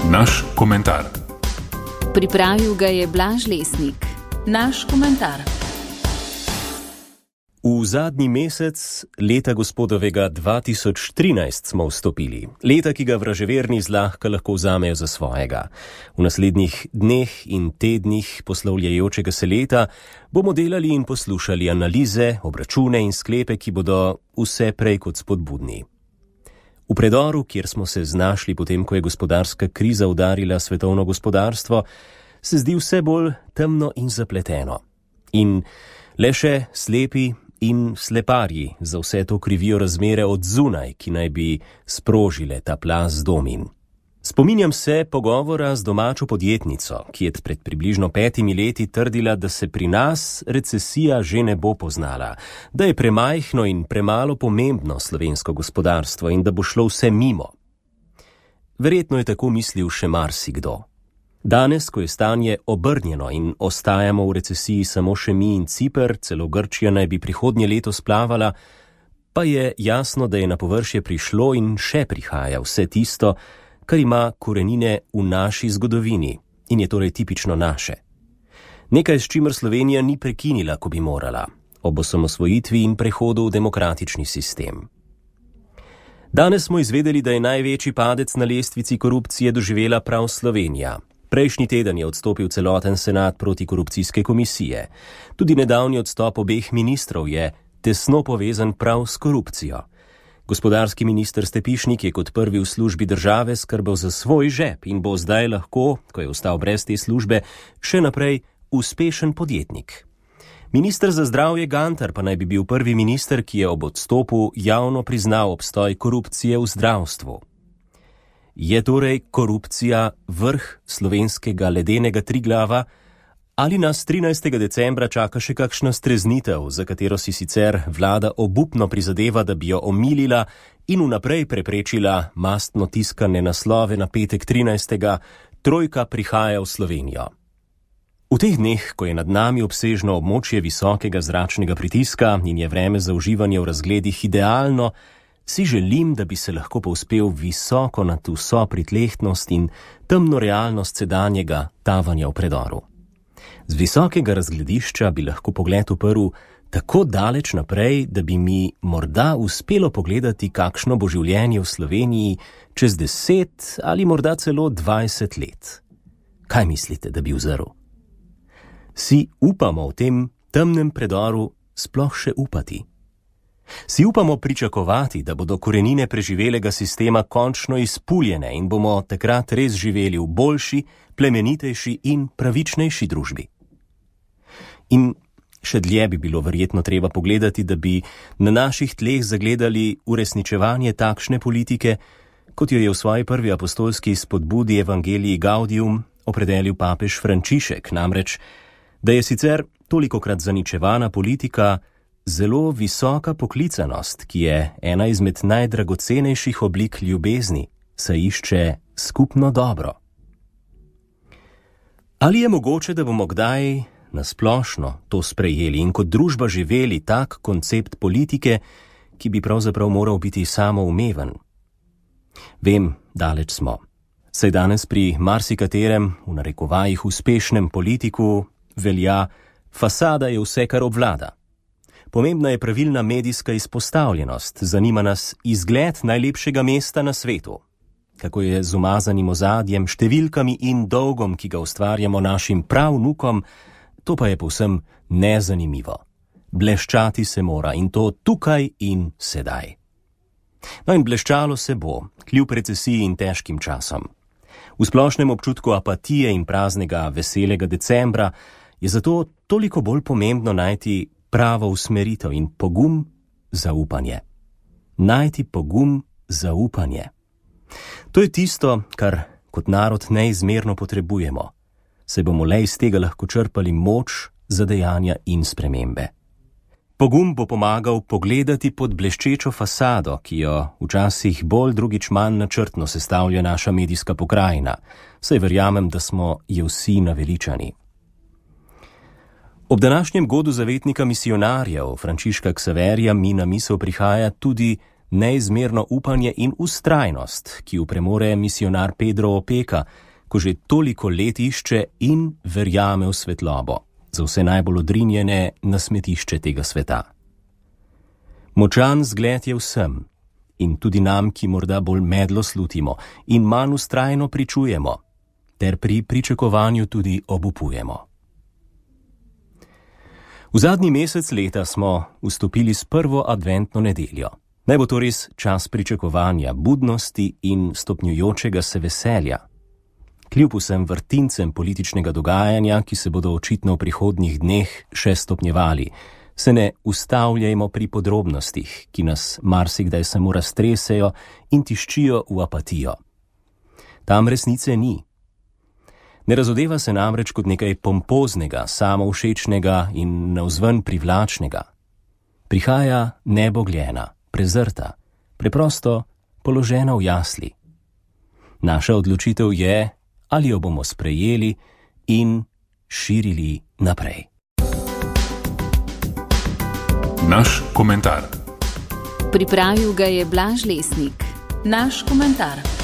Naš komentar. Pripravil ga je Blaž Lesnik. Naš komentar. V zadnji mesec leta gospodovega 2013 smo vstopili. Leta, ki ga vraževerni zlahka lahko vzamejo za svojega. V naslednjih dneh in tednih poslavljajočega se leta bomo delali in poslušali analize, obračune in sklepe, ki bodo vse prej kot spodbudni. V predoru, kjer smo se znašli potem, ko je gospodarska kriza udarila svetovno gospodarstvo, se zdi vse bolj temno in zapleteno. In le še slepi in sleparji za vse to krivijo razmere od zunaj, ki naj bi sprožile ta plaz domin. Spominjam se pogovora z domačo podjetnico, ki je pred približno 5 leti trdila, da se pri nas recesija že ne bo poznala, da je premajhno in premalo pomembno slovensko gospodarstvo in da bo šlo vse mimo. Verjetno je tako mislil še marsikdo. Danes, ko je stanje obrnjeno in ostajamo v recesiji samo še mi in Ciper, celo Grčija naj bi prihodnje leto splavala, pa je jasno, da je na površje prišlo in še prihaja vse tisto, kar ima korenine v naši zgodovini in je torej tipično naše. Nekaj, s čimer Slovenija ni prekinila, ko bi morala, ob osamosvojitvi in prehodu v demokratični sistem. Danes smo izvedeli, da je največji padec na lestvici korupcije doživela prav Slovenija. Prejšnji teden je odstopil celoten senat protikorupcijske komisije. Tudi nedavni odstop obeh ministrov je tesno povezan prav s korupcijo. Gospodarski minister Stepišnik je kot prvi v službi države skrbel za svoj žep in bo zdaj lahko, ko je ostal brez te službe, še naprej uspešen podjetnik. Minister za zdravje Gantar pa naj bi bil prvi minister, ki je ob odstopu javno priznal obstoj korupcije v zdravstvu. Je torej korupcija vrh slovenskega ledenega Triglava ali nas 13. decembra čaka še kakšna streznitev, za katero si sicer vlada obupno prizadeva, da bi jo omilila in vnaprej preprečila mastno tiskane naslove na petek 13. Trojka prihaja v Slovenijo. V teh dneh, ko je nad nami obsežno območje visokega zračnega pritiska in je vreme za uživanje v razgledih idealno, si želim, da bi se lahko povzpel visoko nad vso pritlehtnost in temno realnost sedanjega tavanja v predoru. Z visokega razgledišča bi lahko pogled uprl tako daleč naprej, da bi mi morda uspelo pogledati, kakšno bo življenje v Sloveniji čez 10 ali morda celo 20 let. Kaj mislite, da bi vzrl? Si upamo v tem temnem predoru sploh še upati? Si upamo pričakovati, da bodo korenine preživelega sistema končno izpuljene in bomo takrat res živeli v boljši, plemenitejši in pravičnejši družbi? In še dlje bi bilo verjetno treba pogledati, da bi na naših tleh zagledali uresničevanje takšne politike, kot jo je v svoji prvi apostolski spodbudi Evangelii Gaudium opredelil papež Frančišek, namreč, da je sicer tolikokrat zaničevana politika zelo visoka poklicanost, ki je ena izmed najdragocenejših oblik ljubezni, saj išče skupno dobro. Ali je mogoče, da bomo kdaj nasplošno to sprejeli in kot družba živeli tak koncept politike, ki bi pravzaprav moral biti samoumeven? Vem, daleč smo. Saj danes pri marsikaterem, v narekovajih uspešnem politiku, velja, fasada je vse, kar obvlada. Pomembna je pravilna medijska izpostavljenost, zanima nas izgled najlepšega mesta na svetu. Kako je z umazanim ozadjem, številkami in dolgom, ki ga ustvarjamo našim pravnukom, to pa je povsem nezanimivo. Bleščati se mora in to tukaj in sedaj. No in bleščalo se bo, kljub recesiji in težkim časom. V splošnem občutku apatije in praznega veselega decembra je zato toliko bolj pomembno najti pravo usmeritev in pogum za upanje. Najti pogum za upanje. To je tisto, kar kot narod neizmerno potrebujemo, saj bomo le iz tega lahko črpali moč za dejanja in spremembe. Pogum bo pomagal pogledati pod bleščečo fasado, ki jo včasih bolj drugič manj načrtno sestavlja naša medijska pokrajina, saj verjamem, da smo je vsi naveličani. Ob današnjem godu zavetnika misionarjev Frančiška Ksaverija mi na misel prihaja tudi neizmerno upanje in vztrajnost, ki jo premore misionar Pedro Opeka, ko že toliko let išče in verjame v svetlobo, za vse najbolj odrinjene na smetišče tega sveta. Močan zgled je vsem, in tudi nam, ki morda bolj medlo slutimo in manj vztrajno pričujemo, ter pri pričakovanju tudi obupujemo. V zadnji mesec leta smo vstopili s prvo adventno nedeljo. Naj bo to res čas pričakovanja, budnosti in stopnjujočega se veselja. Kljub vsem vrtincem političnega dogajanja, ki se bodo očitno v prihodnjih dneh še stopnjevali, se ne ustavljajmo pri podrobnostih, ki nas marsikdaj samo raztresejo in tiščijo v apatijo. Tam resnice ni. Ne razodeva se namreč kot nekaj pompoznega, samovšečnega in navzven privlačnega. Prihaja nebogljena, prezrta, preprosto položena v jasli. Naša odločitev je, ali jo bomo sprejeli in širili naprej. Naš komentar. Pripravil ga je Blaž Lesnik. Naš komentar.